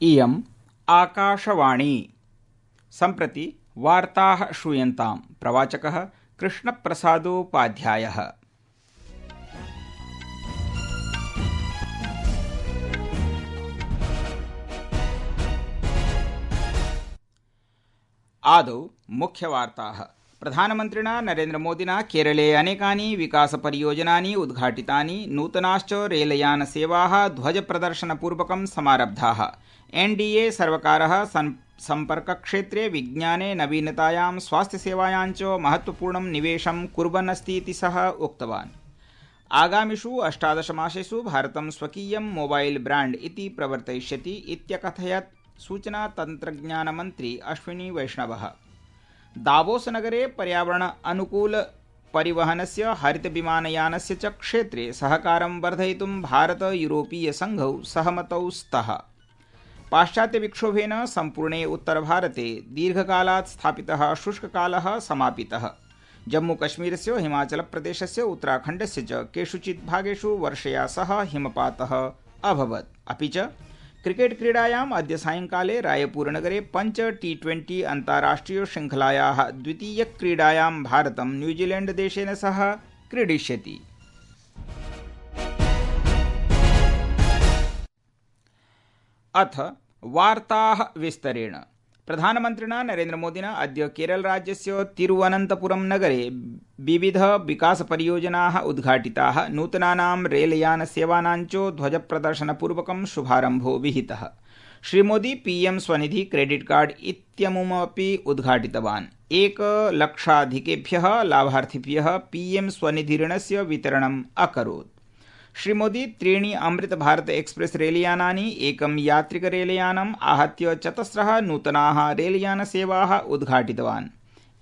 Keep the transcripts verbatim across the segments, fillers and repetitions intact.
इयम् आकाशवाणी। सम्प्रति वार्ताः श्रूयन्ताम्। प्रवाचकः कृष्णप्रसादोपाध्यायः। आदौ मुख्यवार्ताः। प्रधानमन्त्रिणा नरेन्द्रमोदिना केरले अनेकानि विकासपरियोजनानि उद्घाटितानि, नूतनाश्च रेलयानसेवाः ध्वजप्रदर्शनपूर्वकं समारब्धाः। एनडीए सर्वकारः सम्पर्कक्षेत्रे विज्ञाने नवीनतायां स्वास्थ्यसेवायां च महत्वपूर्णं निवेशं कुर्वन् अस्ति इति सः उक्तवान्। आगामिषु अष्टादशमासेषु भारतं स्वकीयं मोबाइल ब्रांड इति प्रवर्तयिष्यति इत्यकथयत् सूचना तन्त्रज्ञानमन्त्री अश्विनी वैष्णवः। दावोस नगरे पर्यावरण अनुकूल परिवहनस्य हरित विमानयानस्य च क्षेत्रे सहकारं वर्धयितुं भारत यूरोपीय संघौ सहमतौ स्तः। पाश्चात्य विक्षोभेन सम्पूर्णे उत्तरभारते दीर्घकालात् स्थापितः शुष्ककालः समापितः। जम्मूकश्मीरस्य हिमाचलप्रदेशस्य उत्तराखण्डस्य च केषुचित् भागेषु वर्षया सह हिमपातः अभवत्। अपि च क्रिकेट क्रीडायाम् अद्य सायंकाले रायपुरनगरे पञ्च टी ट्वेंटी अन्ताराष्ट्रिय शृङ्खलायाः द्वितीयक्रीडायां भारतं न्यूजीलैंड देशेन सह क्रीडिष्यति। अथ वार्ताः विस्तरेण। प्रधानमन्त्रिणा नरेन्द्रमोदिना अद्य केरलराज्यस्य तिरुवनन्तपुरं नगरे विविध विकासपरियोजनाः उद्घाटिताः, नूतनानां रेलयानसेवानां च ध्वजप्रदर्शनपूर्वकं शुभारम्भो विहितः। श्रीमोदी पीएम स्वनिधि क्रेडिट कार्ड इत्यमुमपि उद्घाटितवान्। एकलक्षाधिकेभ्यः लाभार्थिभ्यः पीएम स्वनिधि ऋणस्य वितरणम् अकरोत्। श्रीमोदी त्रीणि अमृत भारत एक्सप्रेस रेलयानानि, एकं यात्रिक रेलयानम् आहत्य चतस्रः नूतनाः रेलयानसेवाः उद्घाटितवान्।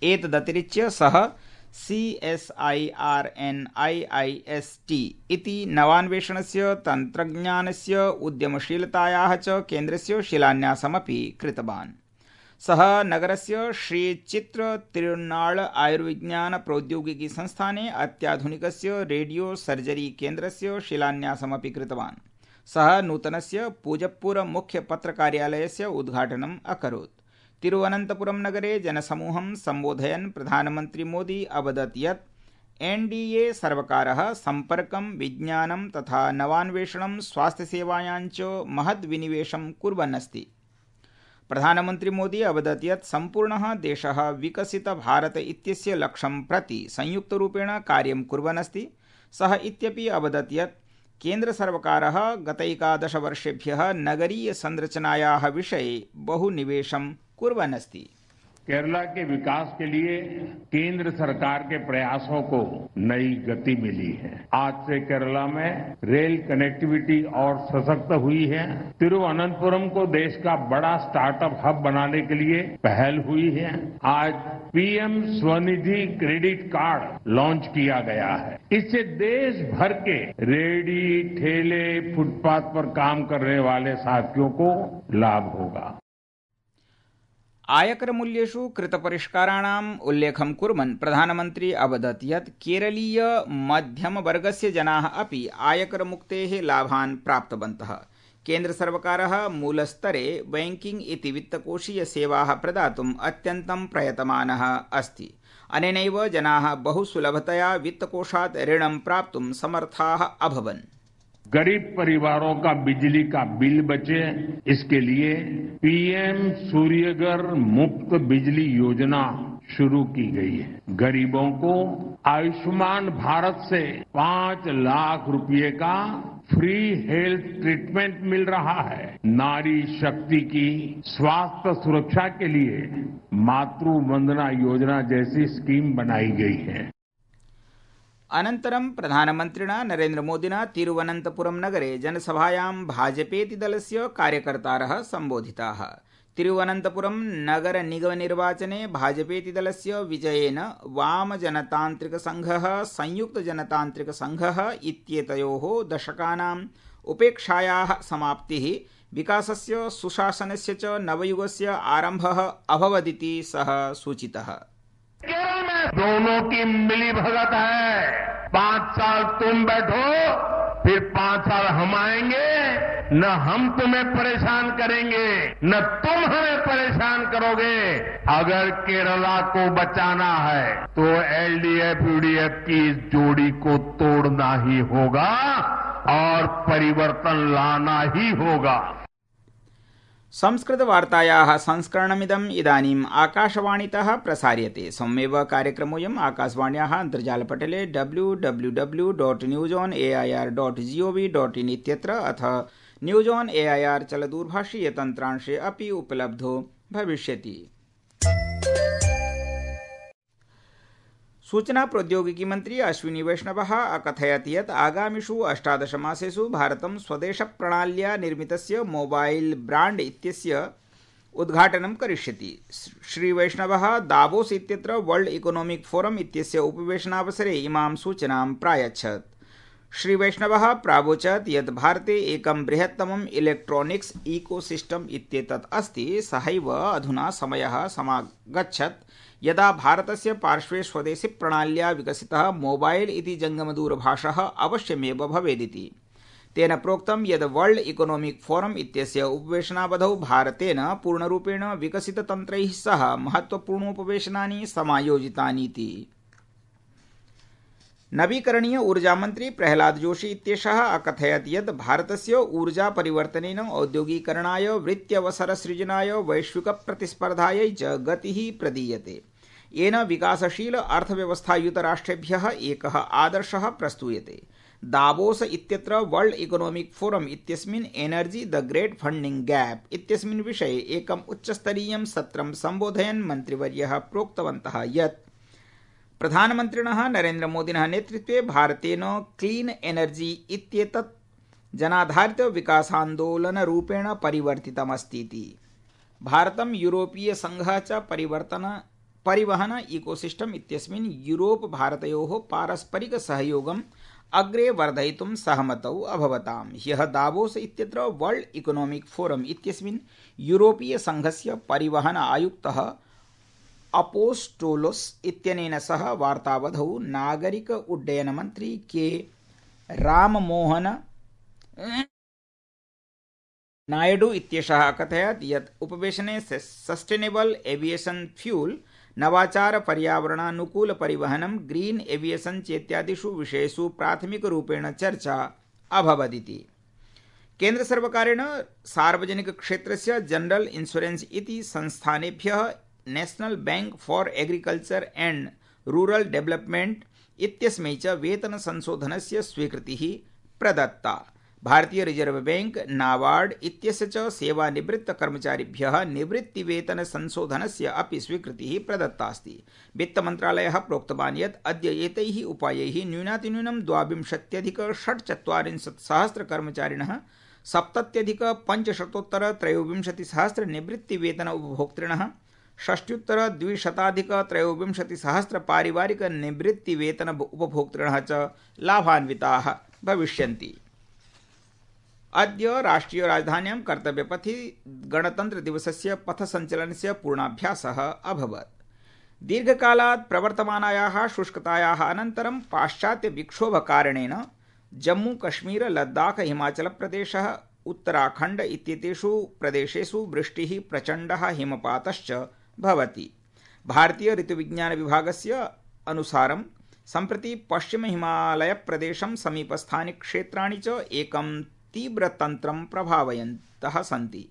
एतदतिरिच्य सः C S I R N I I S T इति नवान्वेषणस्य, तन्त्रज्ञानस्य, उद्यमशीलतायाः च केन्द्रस्य शिलान्यासमपि कृतवान्। सः नगरस्य श्री चित्र तिरुनाळ आयुर्विज्ञान प्रौद्योगिकी संस्थाने अत्याधुनिकस्य रेडियो सर्जरी केन्द्रस्य शिलान्यासमपि कृतवान्। सः नूतनस्य पूजप्पुर मुख्य पत्रकार्यालयस्य उद्घाटनम् अकरोत्। तिरुवनन्तपुरं नगरे जनसमूहं सम्बोधयन् प्रधानमन्त्री मोदी अवदत् यत् एनडीए सर्वकारः सम्पर्कं, विज्ञानं तथा नवान्वेषणं, स्वास्थ्यसेवायां च महद्विनिवेशं कुर्वन् अस्ति। प्रधानमन्त्री मोदी अवदत् यत् सम्पूर्णः देशः विकसित भारत इत्यस्य लक्ष्यं प्रति संयुक्तरूपेण कार्यं कुर्वन् अस्ति। सः इत्यपि अवदत् यत् केन्द्रसर्वकारः गतैकादशवर्षेभ्यः नगरीय संरचनायाः विषये बहु निवेशं कुर्वन् अस्ति। केरला के विकास के लिए केंद्र सरकार के प्रयासों को नई गति मिली है। आज से केरला में रेल कनेक्टिविटी और सशक्त हुई है। तिरुवनंतपुरम को देश का बड़ा स्टार्टअप हब बनाने के लिए पहल हुई है। आज PM Svanidhi credit card launch किया गया है। इससे देश भर के रेहड़ी, ठेले, फुटपाथ पर काम करने वाले साथियों को लाभ होगा। आयकर मूल्येषु कृतपरिष्काराणाम् उल्लेखं कुर्वन् प्रधानमन्त्री अवदत् यत् केरलीय मध्यमवर्गस्य जनाः अपि आयकरमुक्तेः लाभान् प्राप्तवन्तः। केन्द्रसर्वकारः मूलस्तरे बैंकिंग इति वित्तकोषीय सेवाः प्रदातुम् अत्यन्तं प्रयतमानः अस्ति। अनेनैव जनाः बहु सुलभतया वित्तकोषात् ऋणं प्राप्तुं समर्थाः अभवन्। गरीब परिवारों का बिजली का बिल बचे, इसके लिए पीएम सूर्यघर मुफ्त बिजली योजना शुरू की गई है। गरीबों को आयुष्मान भारत से पांच लाख रुपए का फ्री हेल्थ ट्रीटमेंट मिल रहा है। नारी शक्ति की स्वास्थ्य सुरक्षा के लिए मातृ वंदना योजना जैसी स्कीम बनाई गई है। अनन्तरं प्रधानमन्त्रिणा नरेन्द्रमोदिना तिरुवनन्तपुरं नगरे जनसभायां भाजपेति दलस्य कार्यकर्तारः सम्बोधिताः। तिरुवनन्तपुरं नगर निगमनिर्वाचने भाजपेति दलस्य विजयेन वामजनतान्त्रिकसङ्घः, संयुक्तजनतान्त्रिकसङ्घः इत्येतयोः दशकानाम् उपेक्षायाः समाप्तिः, विकासस्य, सुशासनस्य च नवयुगस्य आरम्भः अभवदिति सः सूचितः। केरल में दोनों की मिली भगत है। पांच साल तुम बैठो, फिर पांच साल हम आएंगे, न हम तुम्हें परेशान करेंगे, न तुम हमें परेशान करोगे। अगर केरला को बचाना है तो एलडीएफ यूडीएफ की इस जोड़ी को तोड़ना ही होगा और परिवर्तन लाना ही होगा। संस्कृतवार्तायाः संस्करणमिदम् इदानीम् आकाशवाणीतः प्रसार्यते। सम्मेव कार्यक्रमोऽयम् आकाशवाण्याः अन्तर्जालपटले W W W dot news on A I R dot GOV dot in इत्यत्र अथ news on A I R चलदूरभाषीय तन्त्रांशे अपि उपलब्धो भविष्यति। सूचना प्रौद्योगिकी मंत्री अश्विनी वैष्णवः अकथयत् यत् आगामिषु अष्टादश मासेषु भारतं स्वदेश प्रणाल्या निर्मितस्य मोबाइल ब्रांड इत्यस्य उद्घाटनं करिष्यति। श्री वैष्णवः दावोस इत्यत्र वर्ल्ड इकोनॉमिक फोरम इत्यस्य उपवेशनावसरे इमां सूचनां प्रायच्छत्। श्री वैष्णवः प्रावोचत् यत् भारते एकं बृहत्तमम् इलेक्ट्रॉनिक्स इकोसिस्टम इत्येतत् अस्ति। सहैव अधुना समयः समागच्छत् यदा भारतस्य पार्श्वे स्वदेशी प्रणाल्या विकसितः मोबाइल इति जंगमदूरभाषः अवश्यमेव भवेदिति। तेन प्रोक्तं यत् वर्ल्ड इकोनॉमिक फोरम इत्यस्य उपवेशनावधौ भारतेन पूर्णरूपेण विकसिततन्त्रैः सह महत्वपूर्णोपवेशनानि समायोजितानीति। नवीकरणीय ऊर्जामन्त्री प्रहलाद जोशी इत्येषः अकथयत् यत् भारतस्य ऊर्जा परिवर्तनेन औद्योगीकरणाय वृत्त्यवसरसृजनाय वैश्विकप्रतिस्पर्धायै च गतिः प्रदीयते। येन विकासशील अर्थव्यवस्थायुतराष्ट्रेभ्यः एकः आदर्शः प्रस्तूयते। दावोस इत्यत्र वर्ल्ड इकोनॉमिक फोरम इत्यस्मिन् energy the great funding gap इत्यस्मिन् विषये एकम् उच्चस्तरीयं सत्रं सम्बोधयन् मन्त्रिवर्यः प्रोक्तवन्तः यत् प्रधानमन्त्रिणः नरेन्द्रमोदिनः नेतृत्वे भारतेन क्लीन एनर्जी इत्येतत् जनाधारित विकासान्दोलनरूपेण परिवर्तितमस्तीति। भारतं यूरोपीय संघः च परिवर्तन परिवहन इकोसिस्टम इत्यस्मिन् यूरोप भारतयोः पारस्परिक सहयोगम् अग्रे वर्धयितुं सहमतौ अभवताम्। ह्यः दावोस इत्यत्र वर्ल्ड इकोनॉमिक फोरम इत्यस्मिन् यूरोपीय संघस्य परिवहन आयुक्तः अपोस्टोलोस इत्यनेन सह वार्तावधौ नागरिक उड्डयन मंत्री के राममोहन नायडू इत्येषः अकथयत् यत् उपवेशने सस्टेनेबल एविएशन फ्यूल, नवाचार पर्यावरणानुकूल परिवहनं, ग्रीन एविएशन चेत्यादिषु विषयेषु प्राथमिकरूपेण चर्चा अभवदिति। केन्द्र सर्वकारेण सार्वजनिक क्षेत्रस्य जनरल इन्शुरेन्स इति संस्थानेभ्यः national bank for agriculture and rural development इत्यस्मै च वेतन संशोधनस्य स्वीकृतिः प्रदत्ता। भारतीय रिजर्व बैंक नाबार्ड इत्यस्य च सेवानिवृत्त कर्मचारिभ्यः निवृत्तिवेतन संशोधनस्य अपि स्वीकृतिः प्रदत्ता अस्ति। वित्तमन्त्रालयः प्रोक्तवान् यत् अद्य एतैः उपायैः न्यूनातिन्यूनं द्वाविंशत्यधिक षट्चत्वारिंशत् सहस्र कर्मचारिणः सप्तत्यधिक पञ्चशतोत्तर त्रयोविंशतिसहस्र निवृत्तिवेतन उपभोक्तृणः षष्ट्युत्तर द्विशताधिक त्रयोविंशति सहस्र पारिवारिक निवृत्ति वेतन उपभोक्तृणः च लाभान्विताः भविष्यन्ति। अद्य राष्ट्रिय राजधान्यां कर्तव्यपथि गणतन्त्र दिवसस्य पथसञ्चलनस्य पूर्णाभ्यासः अभवत्। दीर्घकालात् प्रवर्तमानायाः शुष्कतायाः अनन्तरं पाश्चात्य विक्षोभकारणेन जम्मू कश्मीर लद्दाख हिमाचल प्रदेशः उत्तराखण्ड इत्येतेषु प्रदेशेषु वृष्टिः प्रचण्डः हिमपातश्च भवति। भारतीय ऋतुविज्ञान विभागस्य अनुसारं सम्प्रति पश्चिम हिमालय प्रदेशं समीपस्थानि क्षेत्राणि च एकं तीव्रतन्त्रं प्रभावयन्तः सन्ति।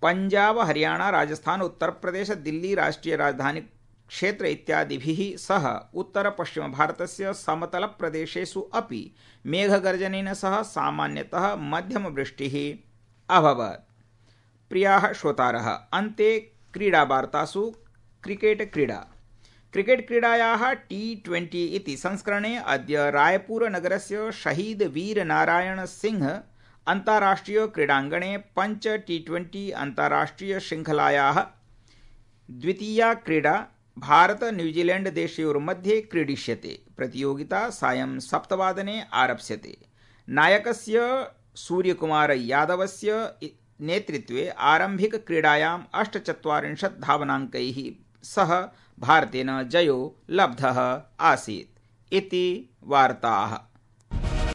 पंजाब, हरियाणा, राजस्थान, उत्तर प्रदेश, दिल्ली राष्ट्रीय राजधानी क्षेत्र इत्यादिभिः सह उत्तर पश्चिम भारतस्य समतल प्रदेशेषु अपि मेघगर्जनेन सह सामान्यतः मध्यम वृष्टिः अभवत्। प्रियाः श्रोतारः, अन्ते क्रीडावार्तासु क्रिकेट क्रीडा क्रिकेट क्रीडायाः टी ट्वेंटी इति संस्करणे अद्य रायपुर नगरस्य शहीद वीर नारायण सिंह अन्ताराष्ट्रिय क्रीडाङ्गणे पञ्च टी ट्वेंटी अन्ताराष्ट्रिय शृङ्खलायाः द्वितीया क्रीडा भारत न्यूजीलैंड देशयोर्मध्ये क्रीडिष्यते। प्रतियोगिता सायं सप्तवादने आरप्स्यते। नायकस्य सूर्यकुमार यादवस्य नेतृत्वे आरम्भिक क्रीडायाम् अष्टचत्वारिंशत् धावनाङ्कैः सह भारतेन जयो लब्धः आसीत्। इति वार्ताः।